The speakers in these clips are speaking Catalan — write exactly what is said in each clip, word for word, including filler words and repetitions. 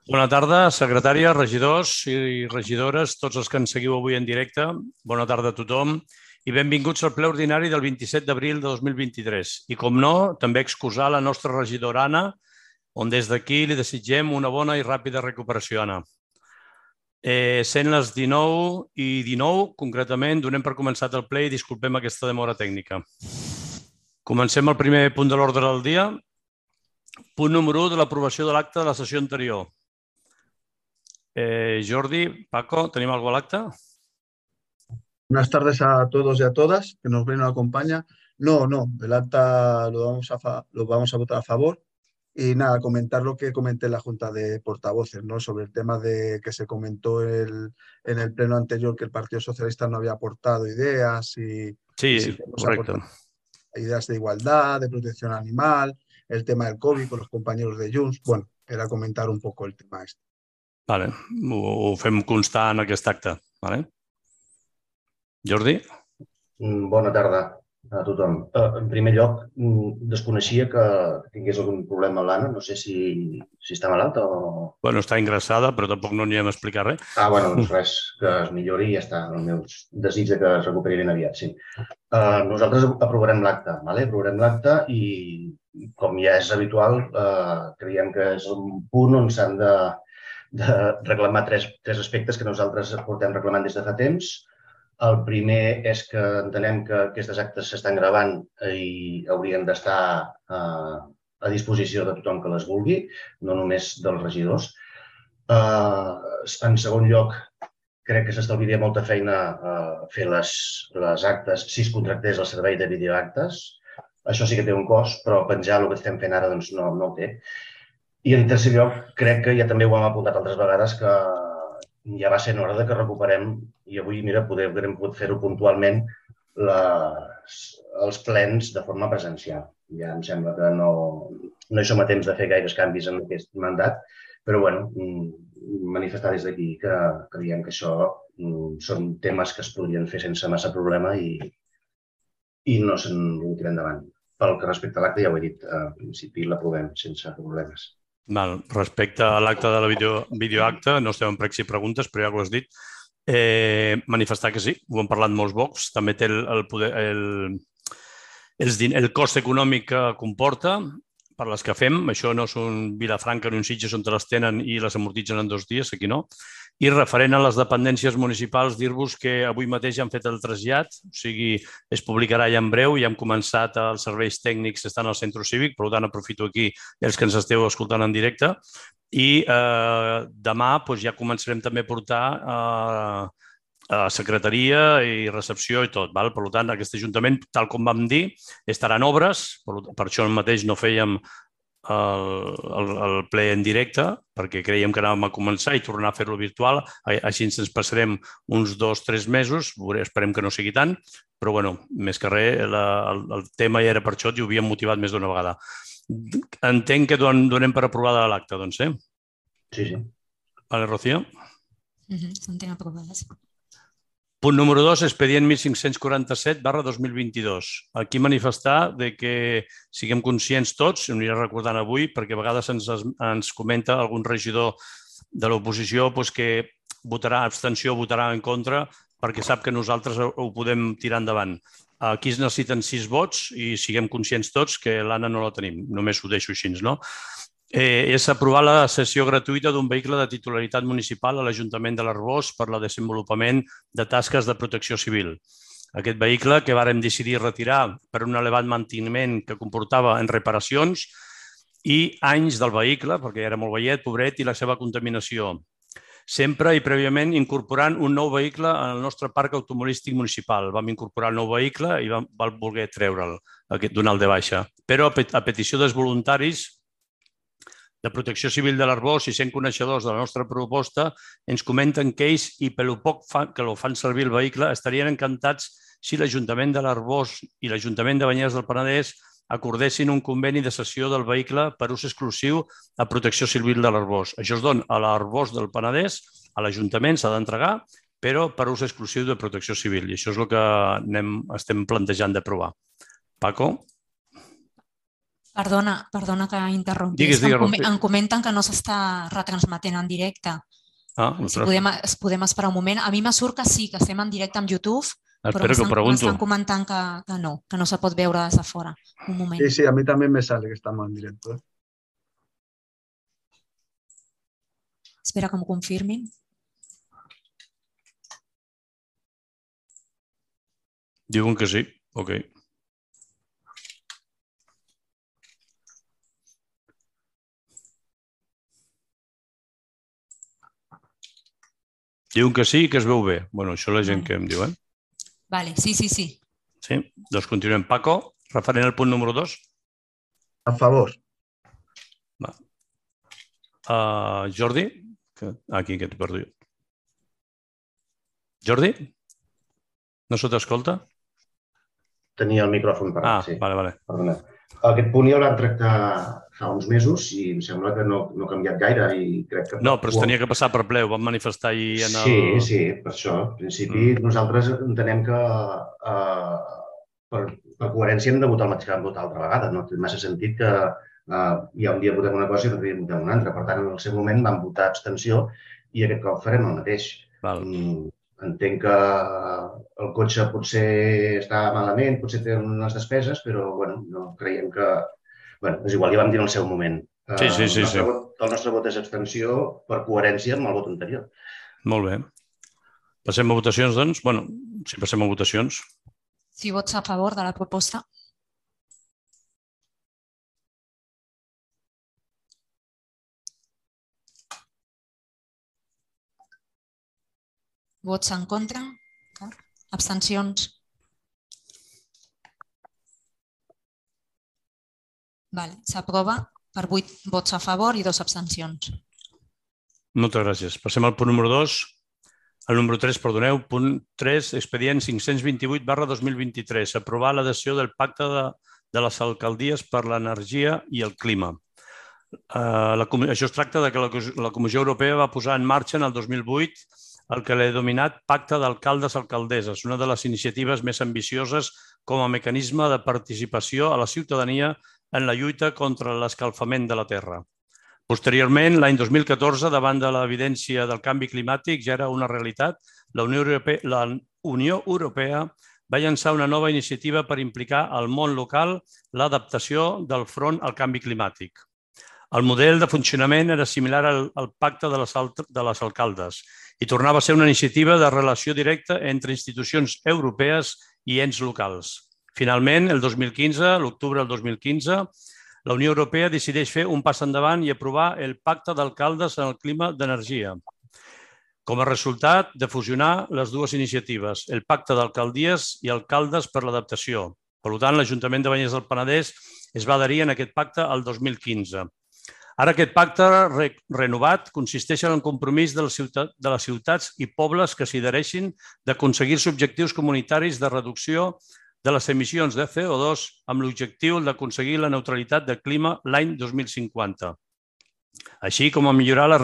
Bona tarda, secretària, regidors i regidores, tots els que ens seguiu avui en directe. Bona tarda a tothom i benvinguts al ple ordinari del vint-i-set d'abril de dos mil vint-i-tres. I, com no, també excusar la nostra regidora Anna, on des d'aquí li desitgem una bona i ràpida recuperació, Anna. Eh, sent les dinou i dinou, concretament, donem per començat el ple i disculpem aquesta demora tècnica. Comencem el primer punt de l'ordre del dia. Punt número u de l'aprovació de l'acte de la sessió anterior. Eh, Jordi, Paco, ¿tenim algo al acta? Buenas tardes a todos y a todas que nos ven y nos acompañan. No, no, el acta lo vamos a, fa- lo vamos a votar a favor. Y nada, comentar lo que comenté en la Junta de Portavoces, ¿no? Sobre el tema de que se comentó el- en el pleno anterior que el Partido Socialista no había aportado ideas y, y sí Sí, que hemos correcte. aportado ideas de igualdad, de protección animal, el tema del COVID con los compañeros de Junts. Bueno, era comentar un poco el tema este. Vale, ho, ho fem constar en aquest acte. Vale? Jordi? Mm, Bona tarda a tothom. Eh, En primer lloc, mm, desconeixia que tingués algun problema l'Anna. No sé si, si està malalta o... Bueno, està ingressada, però tampoc no n'hi hem explicat res. Ah, bueno, doncs res, que es millori i ja està. El meu desig de que es recuperi ben aviat, sí. Eh, nosaltres aprovarem l'acte, vale? Aprovarem l'acte i, com ja és habitual, eh, creiem que és un punt on s'han de, de reclamar tres, tres aspectes que nosaltres portem reclamant des de fa temps. El primer és que entenem que aquestes actes s'estan gravant i haurien d'estar eh, a disposició de tothom que les vulgui, no només dels regidors. Uh, en segon lloc, crec que s'estalviaria molta feina uh, fer les, les actes si es contractés el servei de videoactes. Això sí que té un cost, però penjar el que estem fent ara doncs, no, no el té. I en tercer lloc, crec que ja també ho hem apuntat altres vegades, que ja va ser hora de que recuperem, i avui, mira, poder, hem pogut fer-ho puntualment, les, els plens de forma presencial. Ja em sembla que no, no hi som a temps de fer gaires canvis en aquest mandat, però bueno, manifestar des d'aquí que creiem que això són temes que es podrien fer sense massa problema i, i no se'n tirar endavant. Pel que respecte a l'acte, ja ho he dit, al principi l'aprovem sense problemes. Val. Respecte a l'acte de la video, videoacte, no estem en pregs i preguntes, però ja ho has dit. Eh, manifestar que sí, ho hem parlat molts vocs, també té el, el, poder, el, el, el cost econòmic que comporta per les que fem. Això no és un Vilafranca ni un Sitges on te les tenen i les amortitzen en dos dies, aquí no. I referent a les dependències municipals, dir-vos que avui mateix han fet el trasllat, o sigui, es publicarà ja en breu, ja hem començat els serveis tècnics, estan al centre cívic, per tant aprofito aquí els que ens esteu escoltant en directe, i eh, demà doncs, ja començarem també a portar eh, a secretaria i recepció i tot. Val? Per tant, aquest Ajuntament, tal com vam dir, estarà en obres, per, per això mateix no fèiem el, el, el ple en directe, perquè creiem que anàvem a començar i tornar a fer-lo virtual, així ens passarem uns dos o tres mesos, esperem que no sigui tant, però bueno, més que res, la, el, el tema ja era per això i ho havíem motivat més d'una vegada. Entenc que don, donem per aprovada l'acte, doncs, eh? Sí, sí. Vale, Rocío? Uh-huh. Entenc aprovades. Punt número dos, expedient mil cinc-cents quaranta-set barra dos mil vint-i-dos. Aquí manifestar de que siguem conscients tots, ho aniré recordant avui, perquè a vegades ens, ens comenta algun regidor de l'oposició doncs, que votarà abstenció o votarà en contra perquè sap que nosaltres ho podem tirar endavant. Aquí es necessiten sis vots i siguem conscients tots que l'Anna no la tenim. Només ho deixo així, no? Eh, és aprovar la cessió gratuïta d'un vehicle de titularitat municipal a l'Ajuntament de l'Arboç per al desenvolupament de tasques de protecció civil. Aquest vehicle que vàrem decidir retirar per un elevat manteniment que comportava en reparacions i anys del vehicle, perquè era molt veiet, pobret, i la seva contaminació. Sempre i prèviament incorporant un nou vehicle en el nostre parc automobilístic municipal. Vam incorporar el nou vehicle i vam, vam voler treure'l, donar-lo de baixa. Però a petició dels voluntaris de Protecció Civil de l'Arboç i sent coneixedors de la nostra proposta, ens comenten que ells, i pel poc que ho fan servir el vehicle, estarien encantats si l'Ajuntament de l'Arboç i l'Ajuntament de Banyeres del Penedès acordessin un conveni de cessió del vehicle per ús exclusiu a Protecció Civil de l'Arboç. Això es dona a l'Arboç del Penedès, a l'Ajuntament s'ha d'entregar, però per ús exclusiu de Protecció Civil. I això és el que anem, estem plantejant d'aprovar. Paco? Perdona, perdona que interrompi. Digues, És que digues, em, com- Rospi. em comenten que no s'està retransmetent en directe. Ah, Si ostres. podem, es podem esperar un moment. A mi me surt que sí, que estem en directe amb YouTube, però Espera que ho m'estan pregunto. m'estan comentant que, que no, que no se pot veure des de fora. Un moment. Sí, sí, a mí también me sale que estamos en directo. ¿eh? Espera que m'ho confirmin. Diuen que sí. Ok. Diuen que sí i que es veu bé. Bueno, això la gent Vale. que em diu, eh? Vale, sí, sí, sí. Sí? Doncs continuem. Paco, referent al punt número dos. A favor. Va. Uh, Jordi? Que... Aquí, que t'he perdut. Jordi? No se t'escolta? Tenia el micròfon parat, Ah, sí. vale, vale. Perdona. Aquest punt ja el vam tractar fa uns mesos i em sembla que no, no ha canviat gaire i crec que... No, però es tenia que passar per ple, ho vam manifestar ahir en el... Sí, sí, per això. En principi, Mm. nosaltres entenem que eh, per, per coherència hem de votar el mateix que vam votar l'altra vegada. No té massa sentit que eh, ja un dia votem una cosa i l'altre dia votem una altra. Per tant, en el seu moment vam votar abstenció i aquest cop farem el mateix. Val. Mm, entenc que el cotxe potser està malament, potser té unes despeses, però bueno, no creiem que... Bueno, és igual, ja vam dir en el seu moment. Sí, sí, sí, el, nostre sí. vot, el nostre vot és abstenció per coherència amb el vot anterior. Molt bé. Passem a votacions, doncs? Bueno, si passem a votacions. Si vots a favor de la proposta. Vots en contra? Abstencions? Vale, s'aprova per vuit vots a favor i dos abstencions. Moltes gràcies. Passem al punt número dos. El número tres, perdoneu, punt tres, expedient cinc-cents vint-i-vuit barra dos mil vint-i-tres. Aprovar l'adhesió del pacte de, de les alcaldies per l'energia i el clima. Uh, la, això es tracta de que la, la Comissió Europea va posar en marxa en el dos mil vuit el que l'he denominat Pacte d'Alcaldes-Alcaldesses, una de les iniciatives més ambicioses com a mecanisme de participació a la ciutadania en la lluita contra l'escalfament de la terra. Posteriorment, l'any dos mil catorze, davant de l'evidència del canvi climàtic, ja era una realitat, la Unió Europea, la Unió Europea va llançar una nova iniciativa per implicar al món local l'adaptació del front al canvi climàtic. El model de funcionament era similar al, al pacte de les, de les alcaldes i tornava a ser una iniciativa de relació directa entre institucions europees i ens locals. Finalment, el dos mil quinze, l'octubre del dos mil quinze, la Unió Europea decideix fer un pas endavant i aprovar el Pacte d'Alcaldes en el clima d'energia. Com a resultat de fusionar les dues iniciatives, el Pacte d'Alcaldies i Alcaldes per l'Adaptació. Per tant, l'Ajuntament de Banyeres del Penedès es va adherir en aquest pacte el dos mil quinze. Ara aquest pacte re renovat consisteix en el compromís de les, ciutat, de les ciutats i pobles que s'hi adhereixin d'aconseguir-se objectius comunitaris de reducció de les emissions de C O dos amb l'objectiu d'aconseguir la neutralitat de clima l'any dos mil cinquanta. Així com a millorar la,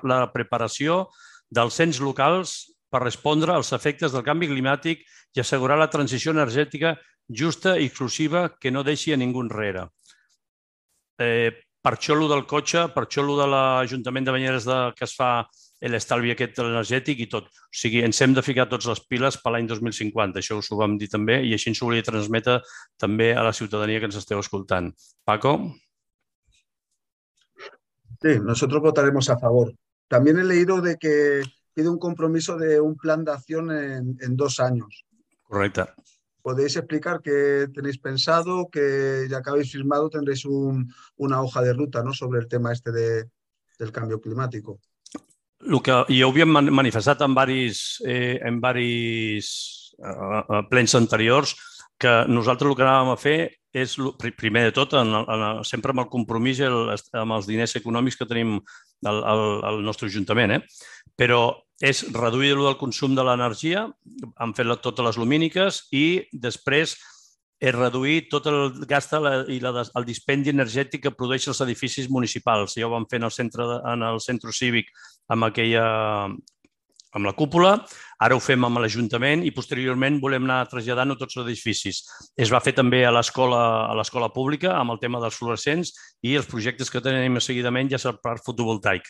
la preparació dels ens locals per respondre als efectes del canvi climàtic i assegurar la transició energètica justa i exclusiva que no deixi a ningú enrere. Eh, per això allò del cotxe, per això allò de l'Ajuntament de Banyeres de, que es fa l'estalvi aquest energètic i tot. O sigui, ens hem de ficar tots les piles per l'any dos mil cinquanta. Això us ho vam dir també i així ens ho volia transmetre també a la ciutadania que ens esteu escoltant. Paco? Sí, nosotros votaremos a favor. También he leído de que pide un compromiso de un plan de acción en, en dos años. Correcte. ¿Podéis explicar qué tenéis pensado? Que ya que habéis firmado tendréis un, una hoja de ruta, ¿no?, sobre el tema este de, del cambio climático. El que ja ho havíem manifestat en diversos, eh, en diversos eh, plens anteriors, que nosaltres el que anàvem a fer és, primer de tot, en, en, sempre amb el compromís i el, amb els diners econòmics que tenim al, al, al nostre Ajuntament, eh? Però és reduir el consum de l'energia, han fet totes les lumíniques i després és reduir tot el gast i la, el dispendi energètic que produeixen els edificis municipals. Ja ho vam fer en el centre, en el centre cívic amb aquella, amb la cúpula, ara ho fem amb l'Ajuntament i posteriorment volem anar traslladant-ho a tots els edificis. Es va fer també a l'escola pública amb el tema dels fluorescents i els projectes que tenim seguidament ja és el parc fotovoltaic.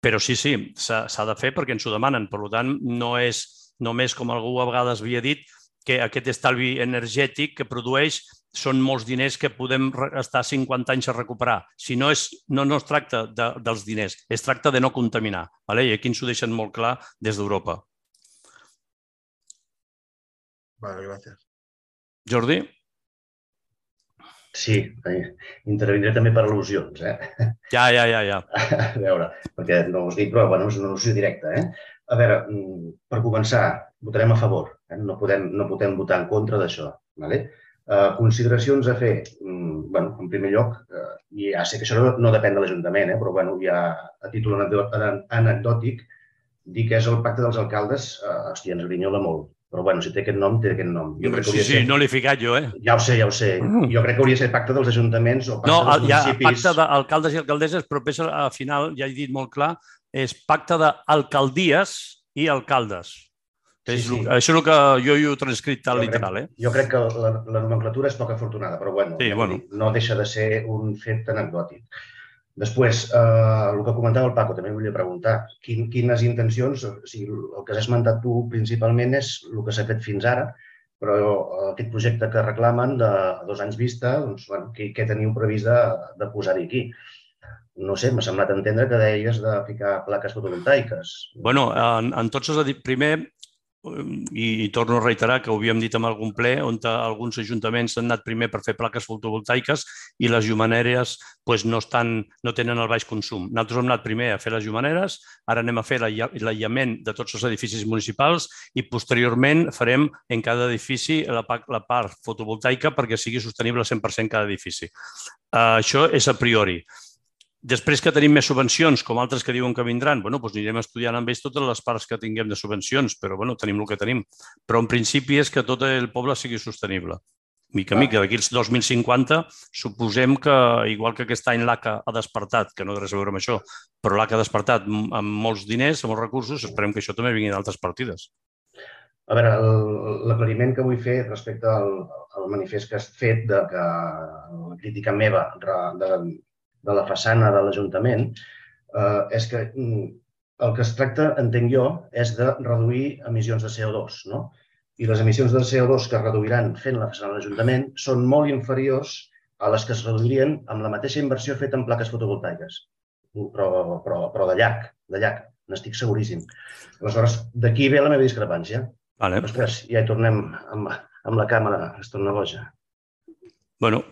Però sí, sí, s'ha de fer perquè ens ho demanen. Per tant, no és només, com algú a vegades havia dit, que aquest estalvi energètic que produeix són molts diners que podem estar cinquanta anys a recuperar. Si no, no es tracta dels diners, es tracta de no contaminar. I aquí ens ho deixen molt clar des d'Europa. Vale, gràcies. Jordi? Sí, intervindré també per al·lusions. Ja, ja, ja, ja. A veure, perquè no us dic, però és una al·lusió directa. A veure, per començar, votarem a favor. No podem votar en contra d'això. Consideracions a fer. En primer lloc, ja sé que això no depèn de l'Ajuntament, però ja a títol anecdòtic, dir que és el pacte dels alcaldes, hòstia, ens grinyola molt. Però bueno, si té aquest nom, té aquest nom. Sí, sí, no l'he ficat jo, eh? Ja ho sé, ja ho sé. Jo crec que hauria de ser pacte dels ajuntaments o pacte dels municipis. No, pacte d'alcaldes i alcaldesses, però al final, ja he dit molt clar, és pacte d'alcaldies i alcaldes. Això és el que jo he transcrit tal literal, eh? Jo crec que la nomenclatura és poc afortunada, però bueno, no deixa de ser un fet anecdòtic. Després, el que comentava el Paco, també volia preguntar, quines intencions, el que has esmentat tu principalment és el que s'ha fet fins ara, però aquest projecte que reclamen de dos anys vista, què teniu previst de posar-hi aquí? No sé, m'ha semblat entendre que deies de ficar plaques fotovoltaiques. Bueno, en tots els... Primer, i torno a reiterar que ho havíem dit en algun ple, on alguns ajuntaments han anat primer per fer plaques fotovoltaiques i les llumeneres no tenen el baix consum. Nosaltres hem anat primer a fer les llumeneres, ara anem a fer l'aïllament de tots els edificis municipals i posteriorment farem en cada edifici la part fotovoltaica perquè sigui sostenible al cent per cent cada edifici. Això és a priori. Després que tenim més subvencions, com altres que diuen que vindran, doncs anirem estudiant amb ells totes les parts que tinguem de subvencions, però tenim el que tenim. Però en principi és que tot el poble sigui sostenible. Mica a mica, d'aquí als dos mil cinquanta, suposem que, igual que aquest any l'A C A ha despertat, que no té res a veure amb això, però l'A C A ha despertat amb molts diners, amb molts recursos, esperem que això també vingui d'altres partides. A veure, l'aclariment que vull fer respecte al manifest que has fet, de la crítica meva de la façana de l'Ajuntament, és que el que es tracta, entenc jo, és de reduir emissions de C O dos. I les emissions de C O dos que es reduiran fent la façana de l'Ajuntament són molt inferiors a les que es reduirien amb la mateixa inversió feta en plaques fotovoltaiques. Però de llarg, de llarg, n'estic seguríssim. Aleshores, d'aquí ve la meva discrepància. Ostres, ja hi tornem amb la càmera, es torna boja. Bueno,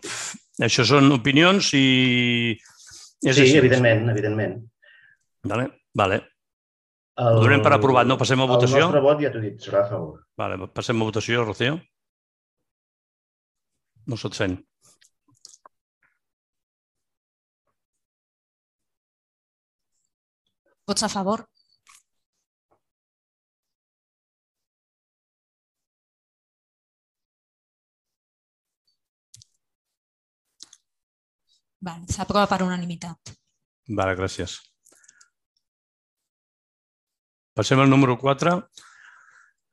això són opinions i... Sí, evidentment, evidentment. Vale, vale. Ho donem per aprovat, no? Passem a votació? El nostre vot, ja t'ho he dit, serà a favor. Vale, passem a votació, Rocío. No se't sent. Vots a favor? S'aprova per unanimitat. Vale, gràcies. Passem al número quatre.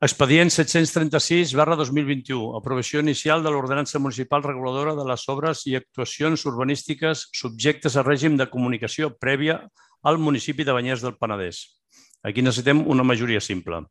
Expedient set-cents trenta-sis barra dos mil vint-i-u. Aprovació inicial de l'ordenança municipal reguladora de les obres i actuacions urbanístiques subjectes a règim de comunicació prèvia al municipi de Banyeres del Penedès. Aquí necessitem una majoria simple.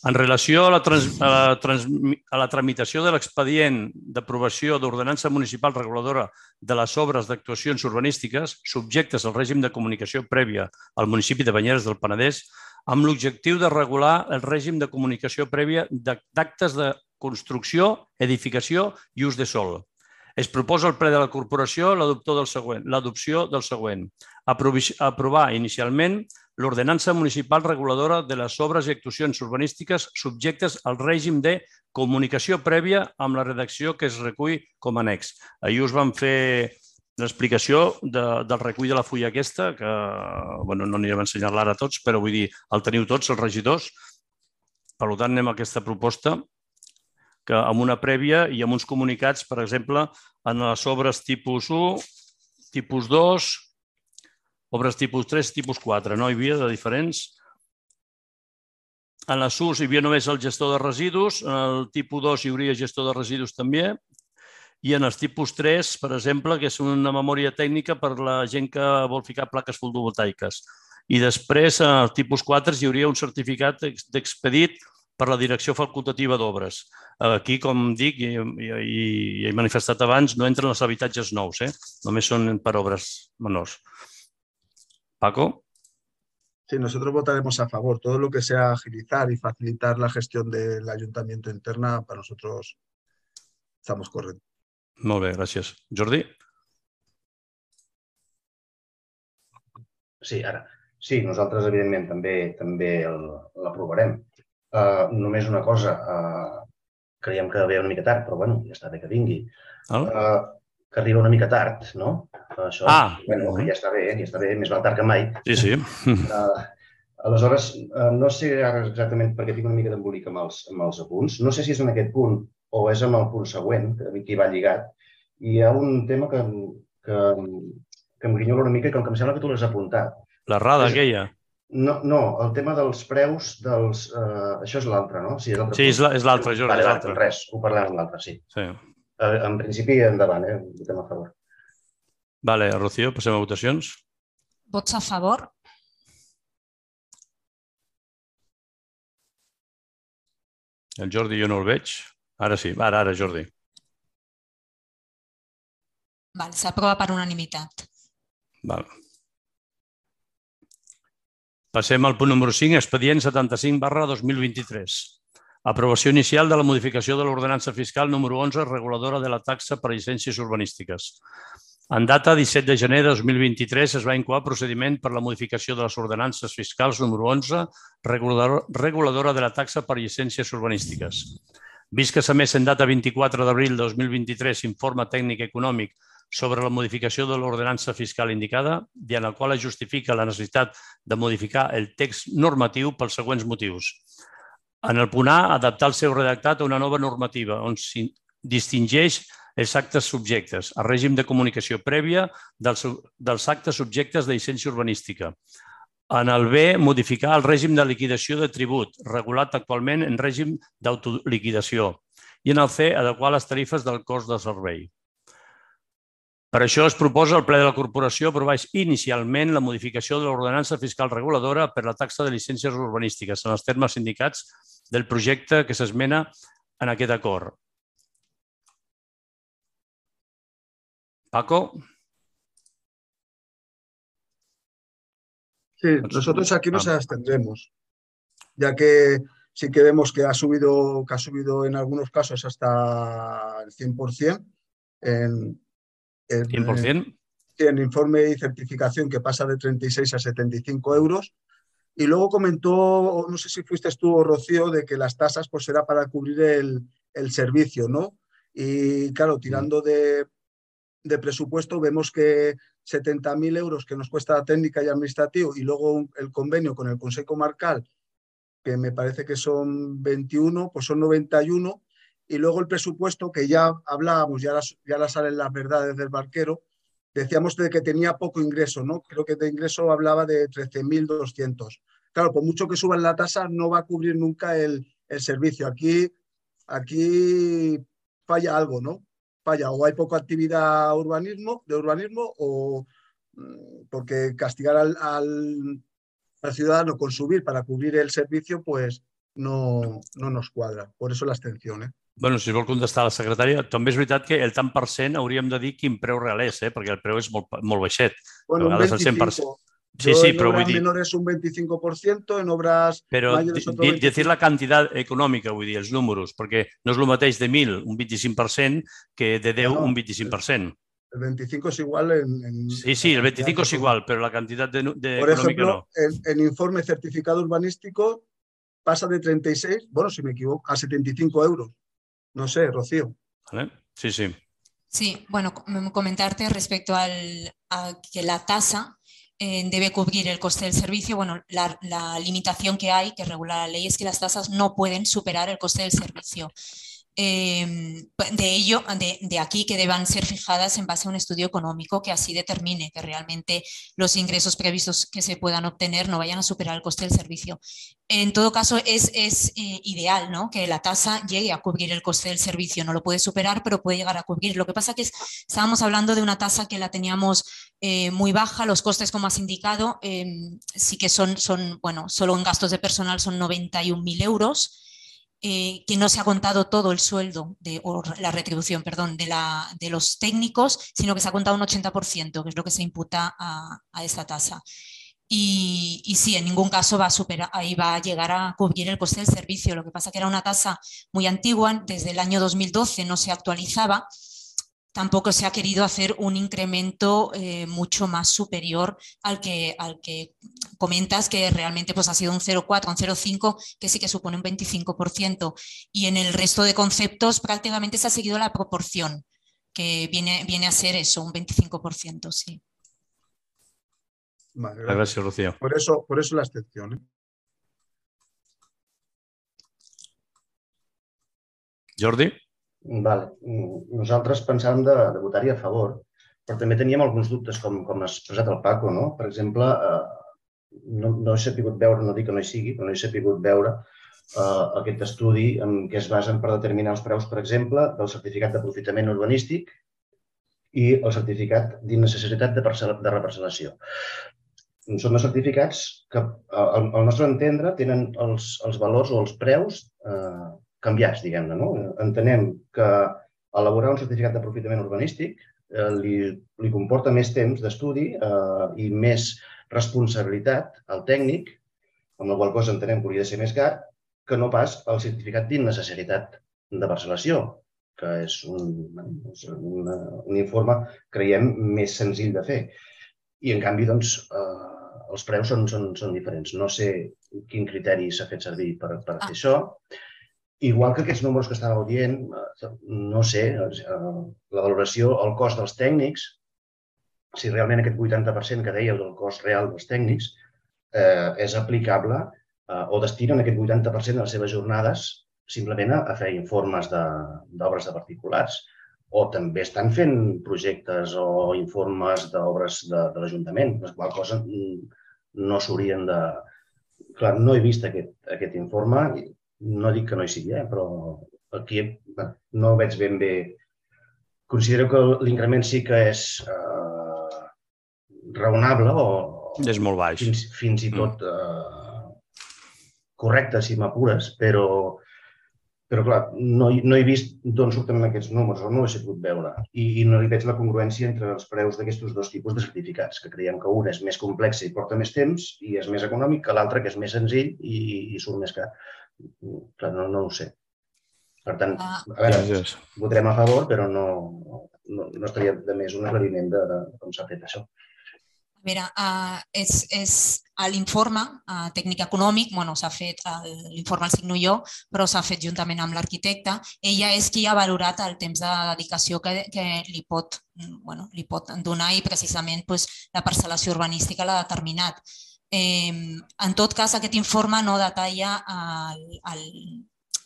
En relació a la tramitació de l'expedient d'aprovació d'ordenança municipal reguladora de les obres d'actuacions urbanístiques subjectes al règim de comunicació prèvia al municipi de Banyeres del Penedès, amb l'objectiu de regular el règim de comunicació prèvia d'actes de construcció, edificació i ús de sòl. Es proposa al ple de la corporació l'adopció del següent. Aprovar inicialment l'ordenança municipal reguladora de les obres i actuacions urbanístiques subjectes al règim de comunicació prèvia amb la redacció que es recull com a annex. Ahir us vam fer l'explicació del recull de la fulla aquesta, que no anirem a ensenyar-la ara a tots, però vull dir, el teniu tots, els regidors. Per tant, anem a aquesta proposta que amb una prèvia i amb uns comunicats, per exemple, en les obres tipus u, tipus dos, obres tipus tres, tipus quatre. No hi havia de diferents. En la S U S hi havia només el gestor de residus, en el tipus dos hi hauria gestor de residus també, i en els tipus tres, per exemple, que és una memòria tècnica per la gent que vol ficar plaques fotovoltaiques. I després, en el tipus quatre, hi hauria un certificat d'expedit per la Direcció Facultativa d'Obres. Aquí, com dic, i he manifestat abans, no entren els habitatges nous, només són per obres menors. Paco? Sí, nosotros votaremos a favor. Todo lo que sea agilizar y facilitar la gestión del ayuntamiento interna, para nosotros estamos correctos. Molt bé, gràcies. Jordi? Sí, ara. Sí, nosaltres, evidentment, també també l'aprovarem. Només una cosa, creiem que ve una mica tard, però bueno, ja està bé que vingui. Que arriba una mica tard, no? Això, bueno, que ja està bé, ja està bé, més val tard que mai. Sí, sí. Aleshores, no sé ara exactament perquè tinc una mica d'embolic amb els apunts. No sé si és en aquest punt o és en el punt següent, que hi va lligat. I hi ha un tema que em grinyola una mica i com que em sembla que tu l'has apuntat. L'errada aquella? No, no, el tema dels preus dels... Això és l'altre, no? Sí, és l'altre, Jordi, és l'altre. Res, ho parlem amb l'altre, sí. En principi, endavant, eh? Votem a favor. Vale, Rocío, passem a votacions. Vots a favor? El Jordi jo no el veig. Ara sí, ara, ara, Jordi. Vale, s'aprova per unanimitat. Val. Passem al punt número cinc, expedient setanta-cinc barra dos mil vint-i-tres. Aprovació inicial de la modificació de l'ordenança fiscal número onze, reguladora de la taxa per llicències urbanístiques. En data disset de gener de dos mil vint-i-tres es va incoar procediment per la modificació de les ordenances fiscals número onze, reguladora de la taxa per llicències urbanístiques. Vist que s'ha emès en data vint-i-quatre d'abril de dos mil vint-i-tres informe tècnic econòmic sobre la modificació de l'ordenança fiscal indicada i en el qual es justifica la necessitat de modificar el text normatiu pels següents motius. En el punt A, adaptar el seu redactat a una nova normativa on s'hi distingeix els actes subjectes, el règim de comunicació prèvia dels actes subjectes de llicència urbanística. En el B, modificar el règim de liquidació de tribut, regulat actualment en règim d'autoliquidació. I en el C, adequar les tarifes del cost de servei. Per això es proposa al ple de la corporació aprovar inicialment la modificació de l'ordenança fiscal reguladora per la taxa de llicències urbanístiques en els termes indicats del projecte que s'esmena en aquest acord. Paco. Sí, nosotros aquí nos abstendremos, ya que sí que vemos que ha subido, que ha subido en algunos casos hasta el cien por ciento en, en, cien por ciento. en informe y certificación, que pasa de treinta y seis a setenta y cinco euros. Y luego comentó, no sé si fuiste tú o Rocío, de que las tasas pues era para cubrir el, el servicio, ¿no? Y claro, tirando de... de presupuesto, vemos que setenta mil euros que nos cuesta la técnica y administrativo y luego un, el convenio con el Consejo Comarcal, que me parece que son veintiuno, pues son noventa y uno, y luego el presupuesto, que ya hablábamos, ya las, ya las salen las verdades del barquero, decíamos de que tenía poco ingreso, ¿no? Creo que de ingreso hablaba de trece mil doscientos. Claro, por mucho que suban la tasa, no va a cubrir nunca el, el servicio. Aquí, aquí falla algo, ¿no? Falla, o hay poca actividad urbanismo, de urbanismo o porque castigar al, al, al ciudadano con subir para cubrir el servicio pues no, no nos cuadra. Por eso la abstención. ¿eh? Bueno, si vol contestar la secretària, també és veritat que el tant per cent hauríem de dir quin preu real és, eh? Perquè el preu és molt, molt baixet. Bueno, un veinticinco. Sí, sí, pero en obras menores un veinticinco por ciento, en obras pero mayores otro veinticinco por ciento. Decir la cantidad econòmica, vull dir, els números, perquè no és el mateix de mil, un vint-i-cinc per cent, que de deu, no, un vint-i-cinc per cent. El veinticinco es igual en... en sí, sí, el veinticinco es igual, pero la cantidad de, de Por económica ejemplo, no. el, el informe certificado urbanístico pasa de treinta y seis, bueno, si me equivoco, a setenta y cinco euros. No sé, Rocío. ¿Vale? Sí, sí. Sí, bueno, comentarte respecto al, a que la tasa eh, debe cubrir el coste del servicio. Bueno, la, la limitación que hay, que regula la ley, es que las tasas no pueden superar el coste del servicio. Eh, de ello, de, de aquí que deban ser fijadas en base a un estudio económico que así determine que realmente los ingresos previstos que se puedan obtener no vayan a superar el coste del servicio. En todo caso, es, es eh, ideal, ¿no?, que la tasa llegue a cubrir el coste del servicio. No lo puede superar, pero puede llegar a cubrir. Lo que pasa es que estábamos hablando de una tasa que la teníamos eh, muy baja. Los costes, como has indicado, eh, sí que son, son, bueno, solo en gastos de personal son noventa y un mil euros. Eh, que no se ha contado todo el sueldo, de, o la retribución, perdón, de, la, de los técnicos, sino que se ha contado un ochenta por ciento, que es lo que se imputa a, a esta tasa. Y, y sí, en ningún caso va a superar, ahí va a llegar a cubrir el coste del servicio. Lo que pasa que era una tasa muy antigua, desde el año dos mil doce no se actualizaba. Tampoco se ha querido hacer un incremento eh, mucho más superior al que, al que comentas, que realmente pues, ha sido un cero coma cuatro, un cero coma cinco, que sí que supone un veinticinco por ciento. Y en el resto de conceptos prácticamente se ha seguido la proporción, que viene, viene a ser eso, un veinticinco por ciento, sí. Vale, gracias. Gracias, Rocío. Por eso, por eso la excepción, ¿eh? Jordi? Vale. Nosaltres pensàvem de, de votar-hi a favor, però també teníem alguns dubtes, com, com ha expressat el Paco, no? Per exemple, eh, no, no he sapigut veure, no dic que no hi sigui, però no he sapigut veure eh, aquest estudi en què es basen per determinar els preus, per exemple, del certificat d'aprofitament urbanístic i el certificat d'innecessitat de, de reparcel·lació. Són dos certificats que, al, al nostre entendre, tenen els, els valors o els preus eh, canviats, diguem-ne, no? Entenem que elaborar un certificat d'aprofitament urbanístic eh, li, li comporta més temps d'estudi eh, i més responsabilitat al tècnic, amb la qual cosa entenem que hauria de ser més car, que no pas el certificat d'innecessitat de parcel·lació, que és un, un, un informe, creiem, més senzill de fer. I, en canvi, doncs, eh, els preus són, són, són diferents. No sé quin criteri s'ha fet servir per, per fer ah. això. Igual que aquests números que estàveu dient, no sé, la valoració, el cost dels tècnics, si realment aquest vuitanta per cent que dèieu del cost real dels tècnics eh, és aplicable eh, o destinen aquest vuitanta per cent de les seves jornades simplement a fer informes d'obres de, de particulars, o també estan fent projectes o informes d'obres de, de l'Ajuntament, les quals coses no s'haurien de... Clar, no he vist aquest, aquest informe. No dic que no hi sigui, eh? Però aquí no ho veig ben bé. Considero que l'increment sí que és eh, raonable o és molt baix. Fins, fins i tot eh, correcte, si m'apures, però, però clar, no, no he vist d'on surten aquests números, o no ho he sabut veure. I, i no hi veig la congruència entre els preus d'aquests dos tipus de certificats, que creiem que un és més complex i porta més temps i és més econòmic que l'altre, que és més senzill i, i surt més car. Clar, no, no ho sé. Per tant, a veure, votarem a favor, però no, no, no estaria de més un aclariment de, de com s'ha fet això. A veure, uh, és, és a l'informe uh, tècnic econòmic, bueno, s'ha fet, l'informe el signo jo, però s'ha fet juntament amb l'arquitecte. Ella és qui ha valorat el temps de dedicació que, que li, pot, bueno, li pot donar i precisament pues, la parcel·lació urbanística l'ha determinat. Eh, en tot cas, aquest informe no detalla el, el,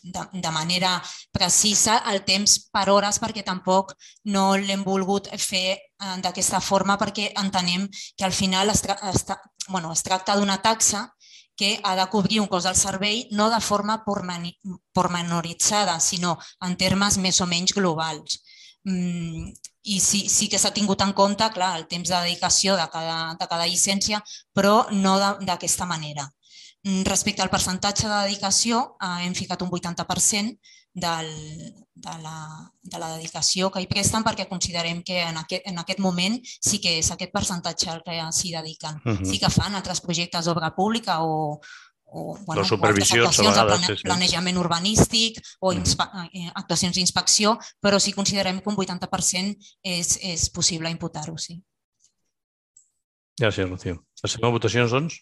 de, de manera precisa el temps per hores, perquè tampoc no l'hem volgut fer d'aquesta forma, perquè entenem que al final es, tra es, tra bueno, es tracta d'una taxa que ha de cobrir un cost del servei no de forma pormenoritzada, sinó en termes més o menys globals. Mm, i sí, sí que s'ha tingut en compte, clar, el temps de dedicació de cada, de cada llicència, però no d'aquesta manera. Respecte al percentatge de dedicació, eh, hem ficat un vuitanta per cent del, de, la, de la dedicació que hi presten, perquè considerem que en aquest, en aquest moment sí que és aquest percentatge el que s'hi dediquen. Uh -huh. Sí que fan altres projectes d'obra pública o, o, bueno, o altres actuacions de plane, planejament urbanístic o actuacions d'inspecció, però sí considerem que un vuitanta per cent és, és possible imputar-ho, sí. Gràcies, Rocío. Passem a votacions, doncs?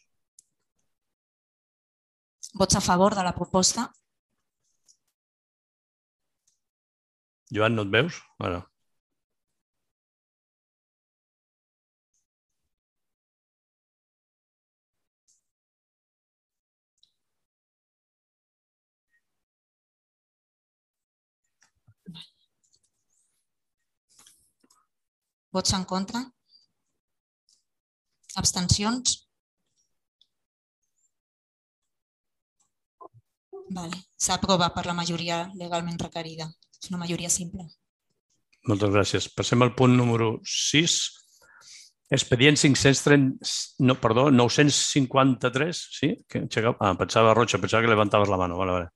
Vots a favor de la proposta? Joan, no et veus? Ara. Vots en contra? Abstencions? Vale. S'aprova per la majoria legalment requerida. És una majoria simple. Moltes gràcies. Passem al punt número sis. Expedient cinc-cents trenta... No, perdó, nou-cents cinquanta-tres. Sí? Ah, pensava, Rocha, pensava que levantaves la mano. Vale, vale.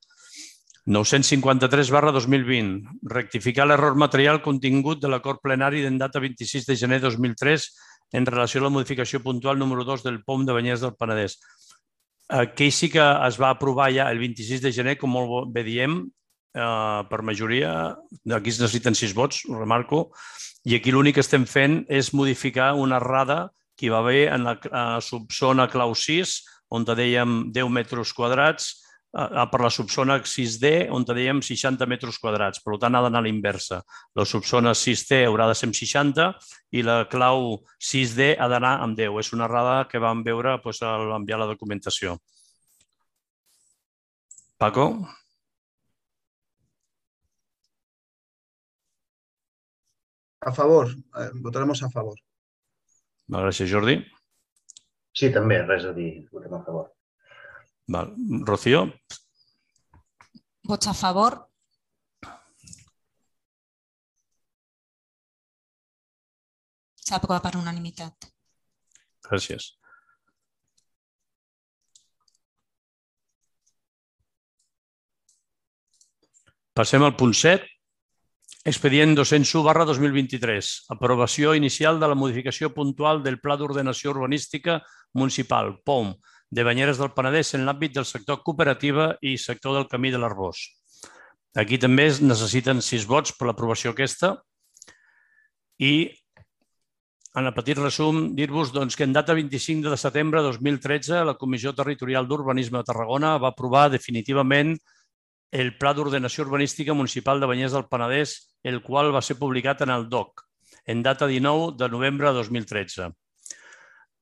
nou-cents cinquanta-tres barra dos mil vint. Rectificar l'error material contingut de l'acord plenari en data vint-i-sis de gener de dos mil tres en relació a la modificació puntual número dos del P O M de Banyeres del Penedès. Aquí sí que es va aprovar ja el vint-i-sis de gener, com molt bé diem, per majoria. Aquí es necessiten sis vots, ho remarco. I aquí l'únic que estem fent és modificar una errada que hi va haver en la subzona clau sis, on dèiem deu metres quadrats, per la subzona sis D, on dèiem seixanta metres quadrats. Per tant, ha d'anar a l'inversa. La subzona sis T haurà de ser amb seixanta i la clau sis D ha d'anar amb deu. És una errada que vam veure a l'enviar la documentació. Paco? A favor. Votaremos a favor. Gràcies, Jordi. Sí, també, res a dir. Votem a favor. Val. Rocío? Vots a favor. S'aprova per unanimitat. Gràcies. Passem al punt set. Expedient dos-cents u barra dos mil vint-i-tres. Aprovació inicial de la modificació puntual del Pla d'Ordenació Urbanística Municipal, P O M, de Banyeres del Penedès en l'àmbit del sector cooperativa i sector del Camí de l'Arbós. Aquí també es necessiten sis vots per l'aprovació aquesta. I, en el petit resum, dir-vos que en data vint-i-cinc de setembre de dos mil tretze la Comissió Territorial d'Urbanisme de Tarragona va aprovar definitivament el Pla d'Ordenació Urbanística Municipal de Banyeres del Penedès, el qual va ser publicat en el D O C, en data dinou de novembre de dos mil tretze.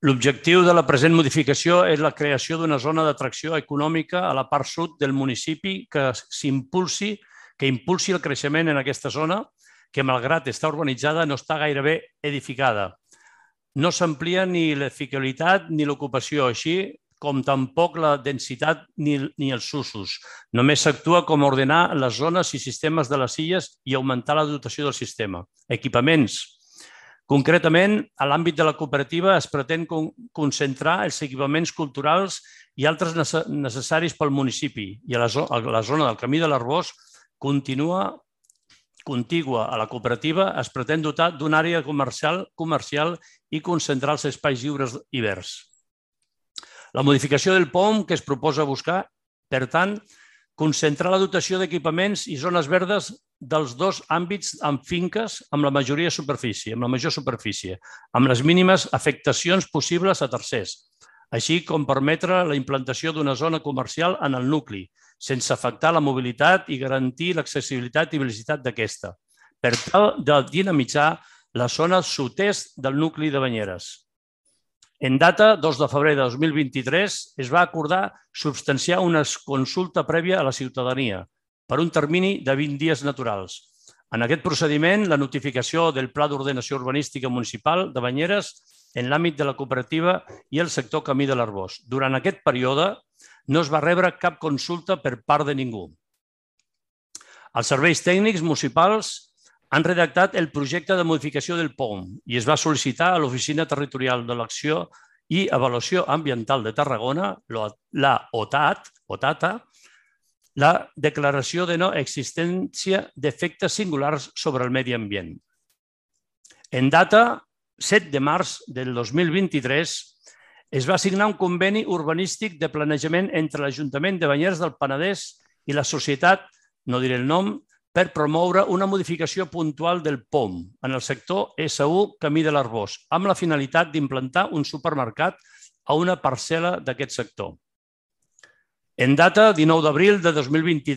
L'objectiu de la present modificació és la creació d'una zona d'atracció econòmica a la part sud del municipi que s'impulsi, que impulsi el creixement en aquesta zona, que malgrat estar urbanitzada no està gairebé edificada. No s'amplia ni l'edificabilitat ni l'ocupació, així com tampoc la densitat ni els usos. Només s'actua com a ordenar les zones i sistemes de les illes i augmentar la dotació del sistema. Equipaments. Concretament, a l'àmbit de la cooperativa es pretén concentrar els equipaments culturals i altres necessaris pel municipi i a la zona del Camí de l'Arbós continua contigua a la cooperativa es pretén dotar d'una àrea comercial i concentrar els espais lliures i verds. La modificació del P O M que es proposa buscar, per tant, concentrar la dotació d'equipaments i zones verdes dels dos àmbits amb finques amb la majoria superfície, amb la major superfície, amb les mínimes afectacions possibles a tercers, així com permetre la implantació d'una zona comercial en el nucli, sense afectar la mobilitat i garantir l'accessibilitat i velocitat d'aquesta, per tal de dinamitzar la zona sud-est del nucli de Banyeres. En data dos de febrer de dos mil vint-i-tres es va acordar substanciar una consulta prèvia a la ciutadania per un termini de vint dies naturals. En aquest procediment, la notificació del Pla d'Ordenació Urbanística Municipal de Banyeres en l'àmbit de la cooperativa i el sector Camí de l'Arbós. Durant aquest període no es va rebre cap consulta per part de ningú. Els serveis tècnics municipals han redactat el projecte de modificació del P O M i es va sol·licitar a l'Oficina Territorial de l'Acció i Avaluació Ambiental de Tarragona, la O T A T, la declaració de no existència d'efectes singulars sobre el medi ambient. En data set de març del dos mil vint-i-tres es va signar un conveni urbanístic de planejament entre l'Ajuntament de Banyeres del Penedès i la societat, no diré el nom, per promoure una modificació puntual del P O M en el sector S U Camí de l'Arbós, amb la finalitat d'implantar un supermercat a una parcel·la d'aquest sector. En data dinou d'abril de dos mil vint-i-tres,